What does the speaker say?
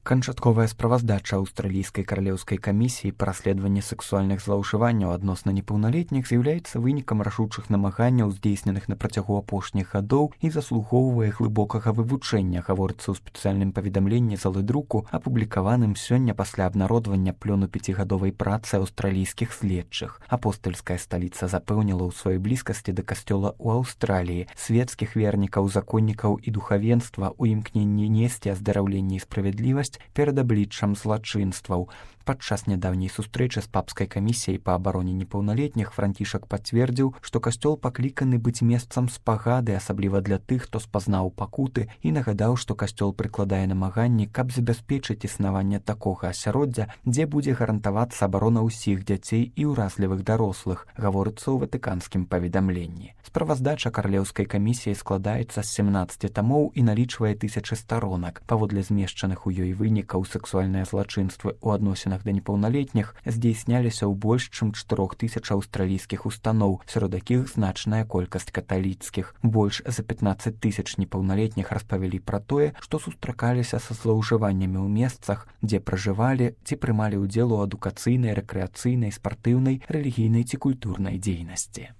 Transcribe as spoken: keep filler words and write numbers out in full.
Канчатковая справаздача аўстралійскай каралеўскай камісіі па расследаванні сексуальных злоўжыванняў адносна непаўналетніх з'яўляецца вынікам рашучых намаганняў, здзейсненых на працягу апошніх гадоў і заслугоўвае глыбокага вывучэння, гаворыцца ў спецыяльным паведамленні залы друку, апублікаваным сёння пасля абнародвання плёну пяцігадовай працы аўстралійскіх следчых. Апостальская сталіца запэўніла ў сваёй блізкасці да касцёла ў Аўстраліі, свецкіх вернікаў, законнікаў і духавенства ў імкненні несці аздараўленне і справядлівасць перад абліччам злачынстваў. Падчас нядаўняй сустрэчы з папскай камісіяй па абароне непаўналетніх Францішак пацвердзіў, што касцёл пакліканы быць месцам спагады, асабліва для тых, хто спазнаў пакуты, і нагадаў, што касцёл прыкладае намаганні, каб забяспечыць існаванне такога асяроддзя, дзе будзе гарантавацца абарона ўсіх дзяцей і ўразлівых дарослых, гаворыцца ў ватыканскім паведамленні. Справаздача каралеўскай камісіі складаецца з семнаццаці тамоў і налічвае тысячы старонак. Паводле змешчаных у ёй вынікаў, сексуальныя злачынствы ў адносінах да непаўналетніх здзейсняліся ў больш чым чатырох тысяч аўстралійскіх устаноў, сярод якіх значная колькасць каталіцкіх. Больш за пятнаццаць тысяч непаўналетніх распавялі пра тое, што сустракаліся са злоўжываннямі ў месцах, дзе пражывалі ці прымалі ўдзел у адукацыйнай, рэкрэацыйнай, спартыўнай, рэлігійнай ці культурнай дзейнасці.